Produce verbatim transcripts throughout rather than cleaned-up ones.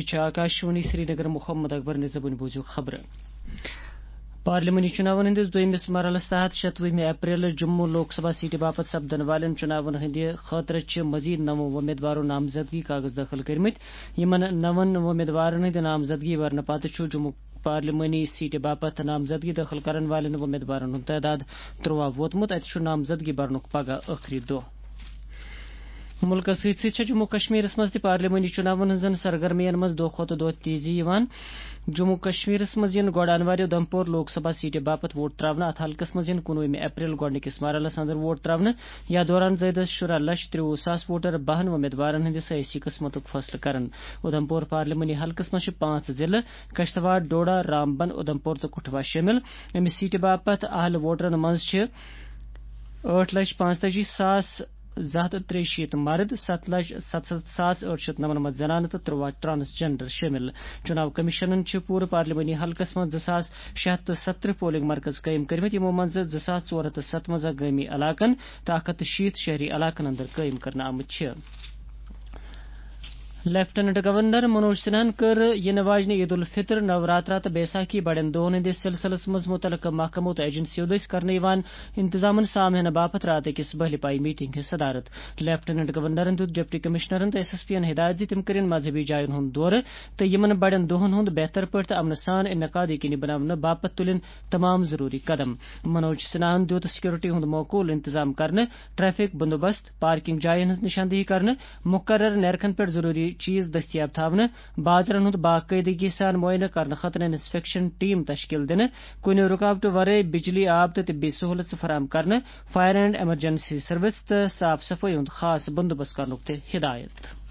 چھِ آکاشوانی سرینگر۔ محمد اکبر نِظامٕنۍ بوٗزِو خبرٕ۔ پارلیمانی چُناون ہٕنٛدِس دوٚیمِس مرحلس تحت شتوُہمہِ اپریل جموں لوک سبھا سیٹہِ باپتھ سپدن والٮ۪ن چُناون ہٕنٛدِ خٲطرٕ چھِ مزید نَو وۄمیدوارو نامزدگی کاغذ دٲخل کٔرمٕتۍ۔ یِمن نَون وۄمیدوارن ہٕنٛدِ نامزدگی ورنہٕ پتہٕ چھُ جموں پارلیمانی سیٹہِ باپتھ نامزدگی دٲخل کرن والٮ۪ن وۄمیدوارن ہُنٛد تعداد ترٛوَاہ ووتمُت۔ اتہِ چھُ نامزدگی برنُک پگاہ ٲخری دۄہ۔ مُلکَس سۭتۍ سۭتۍ چھےٚ جموں کشمیرَس منٛز تہِ پارلیمانی چُناون ہٕنٛزن سرگرمیَن منٛز دۄہ کھۄتہٕ دۄہ تیزی یِوان۔ جموں کشمیرَس منٛز یِن گۄڈٕ انوارِ اُدھمپور لوک سبھا سیٹہِ باپتھ ووٹ تراونہٕ۔ اتھ حلقَس منٛز یِن کُنوُہمہِ اپریل گۄڈٕنِکِس مرحلَس اندر ووٹ تراونہٕ۔ یَتھ دوران زٲیدَس شُراہ لچھ ترٛوُہ ساس ووٹر بَہَن وۄمیدوارَن ہٕنٛدِ سیٲسی قٕسمتُک فٲصلہٕ کرن۔ اُدھمپور پارلیمانی حلقَس منٛز چھِ پانٛژھ ضلعہٕ، کشتواڑ، ڈوڈا، رامبن، اُدھمپور تہٕ کٹھوا شٲمِل۔ اَمہِ سیٹہِ باپتھ اہل ووٹرَن منٛز چھِ ٲٹھ لچھ پانٛژتٲجی ساس زٕ ہتھ تہٕ ترٛیہِ شیٖتھ مرد، ستھ لچھ ستستھ ساس ٲٹھ شیٚتھ نَمنَمتھ زنانہٕ تہٕ ترٛوَاہ ٹرانسجینڈر شٲمِل۔ چُناو کمیشنن چھِ پوٗرٕ پارلیمانی حلقس منٛز زٕ ساس شےٚ ہتھ تہٕ ستترٕہ پولنگ مرکز قٲیِم کٔرمٕتۍ، یِمو منٛز زٕ ساس ژور ہتھ تہٕ ستوَنزاہ گٲمی علاقن تہٕ اکھ ہتھ تہٕ شیٖتھ شہری علاقن اندر قٲیِم کرنہٕ آمٕتۍ چھِ۔ لیفٹیننٹ گورنر منوج سنہاہن کٔر یِنہٕ واجنہِ عید الفطر، نوراترا تہٕ بیساکھی بڑٮ۪ن دۄہن ہٕنٛدِس سلسلس منٛز مُتعلقہٕ محکمو تہٕ ایجنسیو دٔسۍ کرنہٕ یِوان انتظامن سام ہینہٕ باپتھ راتہٕ أکِس بٔہلہِ پایہِ میٹنگ ہٕنٛز صدارت۔ لیفٹیننٹ گورنرن دیُت ڈپٹی کمشنرن تہٕ ایس ایس پی ین ہدایت زِ تِم کٔرِن مذہبی جاین ہُنٛد دورٕ تہٕ یِمن بڑٮ۪ن دۄہن ہُنٛد بہتر پٲٹھۍ تہٕ امنہٕ سان انعقاد یقینی بناونہٕ باپتھ تُلِن تمام ضروری قدم۔ منوج سنہاہن دیُت سکیورٹی ہُنٛد معقول انتظام کرنہٕ، ٹریفک بندوبست، پارکنگ جاین ہٕنٛز نشاندہی کرنہٕ، مقرر نیرخن پٮ۪ٹھ ضروری چیز دٔستیاب تھاونہٕ، بازرن ہُنٛد باقٲعدگی سان معائنہٕ کرنہٕ خٲطرٕ انسپیکشن ٹیم تشکیل دِنہٕ، کُنہِ رُکاوٹہٕ ورٲے بجلی، آب تہٕ طبی سہولژٕ فراہم کرنہٕ، فائر اینڈ ایمرجنسی سروس تہٕ صاف صفٲیی ہُنٛد خاص بندوبست کرنُک تہِ ہدایت۔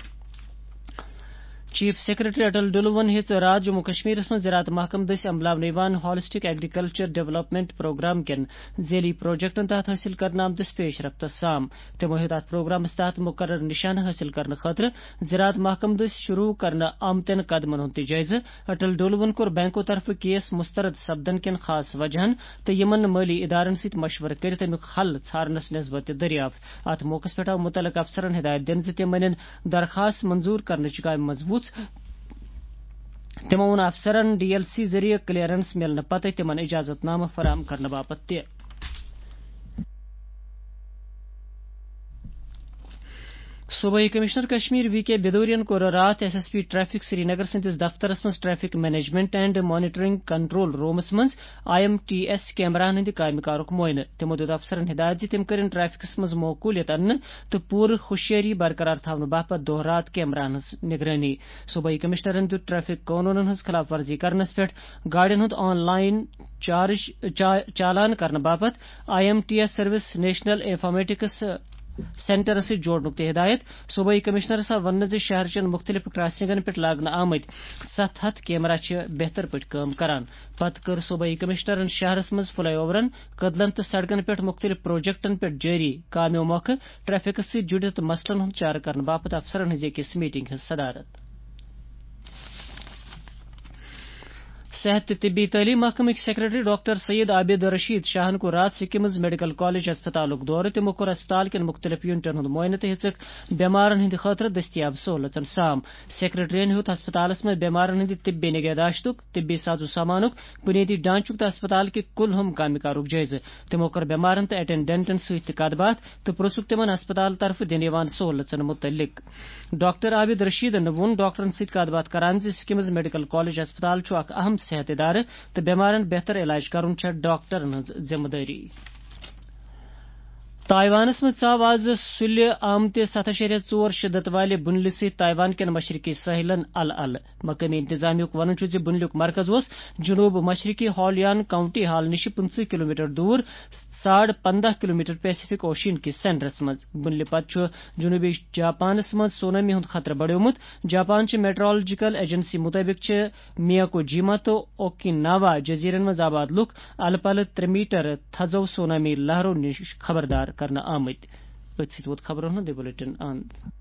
چیف سیکرٹری اٹل ڈلوَن ہیٚژ راتھ جموں کشمیرس منٛز زراعت محکمہٕ دٔسۍ عملاونہٕ یِوان ہالسٹک ایگریکلچر ڈیولپمنٹ پروگرام کٮ۪ن ذیلی پروجیکٹن تحت حٲصِل کرنہٕ آمتِس پیش رفتس سام۔ تِمو ہیوٚت اتھ پروگرامس تحت مقرر نشانہٕ حٲصِل کرنہٕ خٲطرٕ زراعت محکمہٕ دٔسۍ شروع کرنہٕ آمتٮ۪ن قدمن ہُنٛد تہِ جٲیزٕ۔ اٹل ڈولوَن کوٚر بینکو طرفہٕ کیس مسترد سپدن کٮ۪ن خاص وجہن تہٕ یِمن مٲلی ادارن سۭتۍ مشورٕ کٔرِتھ امیُک حل ژھارنس نسبت تہِ دٔریافت۔ اتھ موقعس پٮ۪ٹھ آو مُتعلقہٕ افسرن ہدایت دِنہٕ زِ تِم انن درخاست منظور کرنٕچ کامہِ منٛز وُژھ۔ تِمو ووٚن افسرن ڈی ایل سی ذٔریعہٕ کلیئرنس مِلنہٕ پتہٕ تِمن اجازت نامہٕ فراہم کرنہٕ باپتھ تہِ۔ صوبٲئی کمشنر کشمیر وی کے بدورین کوٚر راتھ S S P traffic Srinagar سٕنٛدِس دفترس منٛز traffic management and monitoring control rooms منٛز آئی ایم ٹی ایس کیمراہن ہٕنٛدِ کامہِ کارُک معائنہٕ۔ تِمو دیُت افسرن ہدایت زِ تِم کٔرِن ٹریفکس منٛز معقولیت اننہٕ تہٕ پوٗرٕ ہوشیٲری برقرار تھاونہٕ باپتھ دۄہ رات کیمراہن ہٕنٛز نگرٲنی۔ صوبٲئی کمشنرن دیُت ٹریفک قونوٗنن ہٕنٛز خلاف ورزی کرنس پٮ۪ٹھ گاڑٮ۪ن ہُنٛد آن لائن چارج، چا-، چالان کرنہٕ باپتھ I M T S service national informatics سینٹرس سۭتۍ جوڑنُک تہِ ہدایت۔ صوبٲئی کمشنرس آو وننہٕ زِ شہر چٮ۪ن مُختٔلِف کراسنگن پٮ۪ٹھ لاگنہٕ آمٕتۍ ستھ ہتھ کیمرا چھِ بہتر پٲٹھۍ کٲم کران۔ پتہٕ کٔر صوبٲئی کمشنرن شہرس منٛز فلائی اوورن، کدلن تہٕ سڑکن پٮ۪ٹھ مُختٔلِف پروجیکٹن پٮ۪ٹھ جٲری کامیو مۄکھٕ ٹریفکس سۭتۍ جُڑِتھ مسلن ہُنٛد چارٕ کرنہٕ باپتھ افسرن ہٕنٛزِ أکِس میٹنگ ہٕنٛز صدارت۔ صحت تہٕ طبی تعلیٖم محکمٕکۍ سیکرٹری ڈاکٹر سید عابد رشید شاہن کوٚر راتھ سکمز میڈیکل کالج ہسپتالُک دورٕ۔ تِمو کوٚر ہسپتال کٮ۪ن مُختٔلِف یونٹن ہُنٛد معائنہٕ تہٕ ہیٚژٕکھ بٮ۪مارن ہٕنٛدِ خٲطرٕ دٔستیاب سہوٗلژن سام۔ سیکرٹریَن ہیوٚت ہسپتالس منٛز بٮ۪مارن ہٕنٛدِ طبی نگہداشتُک، طبی ساز و سامانُک، بُنیٲدی ڈھانچُک تہٕ ہسپتال کہِ کُل ہُم کامہِ کارُک جٲیزٕ۔ تِمو کٔر بٮ۪مارن تہٕ اٹینڈنٹن سۭتۍ تہِ کتھ باتھ تہٕ پرژھُکھ تِمن ہسپتال طرفہٕ دِنہٕ یِوان سہوٗلژن مُتعلق۔ ڈاکٹر عابد رشیدن ووٚن ڈاکٹرن سۭتۍ کتھ باتھ کران زِ سکمز میڈیکل کالج ہسپتال چھُ اکھ اہم صحت ادارٕ تہٕ بٮ۪مارن بہتر علاج کرُن چھےٚ ڈاکٹرن ہٕنٛز ذمہٕ دٲری۔ تائیوانس منٛز ژاو آز سُلہِ آمتہِ ستھ اَشاریہ ژور شدت والہِ بُنلہِ سۭتۍ تائیوان کٮ۪ن مشرقی ساحلن الہٕ الہٕ۔ مقٲمی انتظامیہُک ونُن چھُ زِ بُنلیُک مرکز اوس جنوب مشرقی ہالیان کاؤنٹی ہال نِش پٕنٛژٕہ کلومیٹر دوٗر، ساڑ پندہ کلومیٹر پیسیفک اوشین کِس سینٹرس منٛز۔ بُنلہِ پتہٕ چھُ جنوبی جاپانس منٛز سونامی ہُنٛد خطرٕ بڑیومُت۔ جاپان چہِ میٹرولوجیکل ایجنسی مُطٲبِق چھِ میاکوجیما تہٕ اوکیناوا جزیرن منٛز آباد لُکھ الہٕ پلہٕ ترٛےٚ میٹر تھزو سونامی لہرو نِش خبردار کرنہٕ آمٕتۍ۔ أتھۍ سۭتۍ ووت خبرن ہُنٛد یہِ بلیٹن اند۔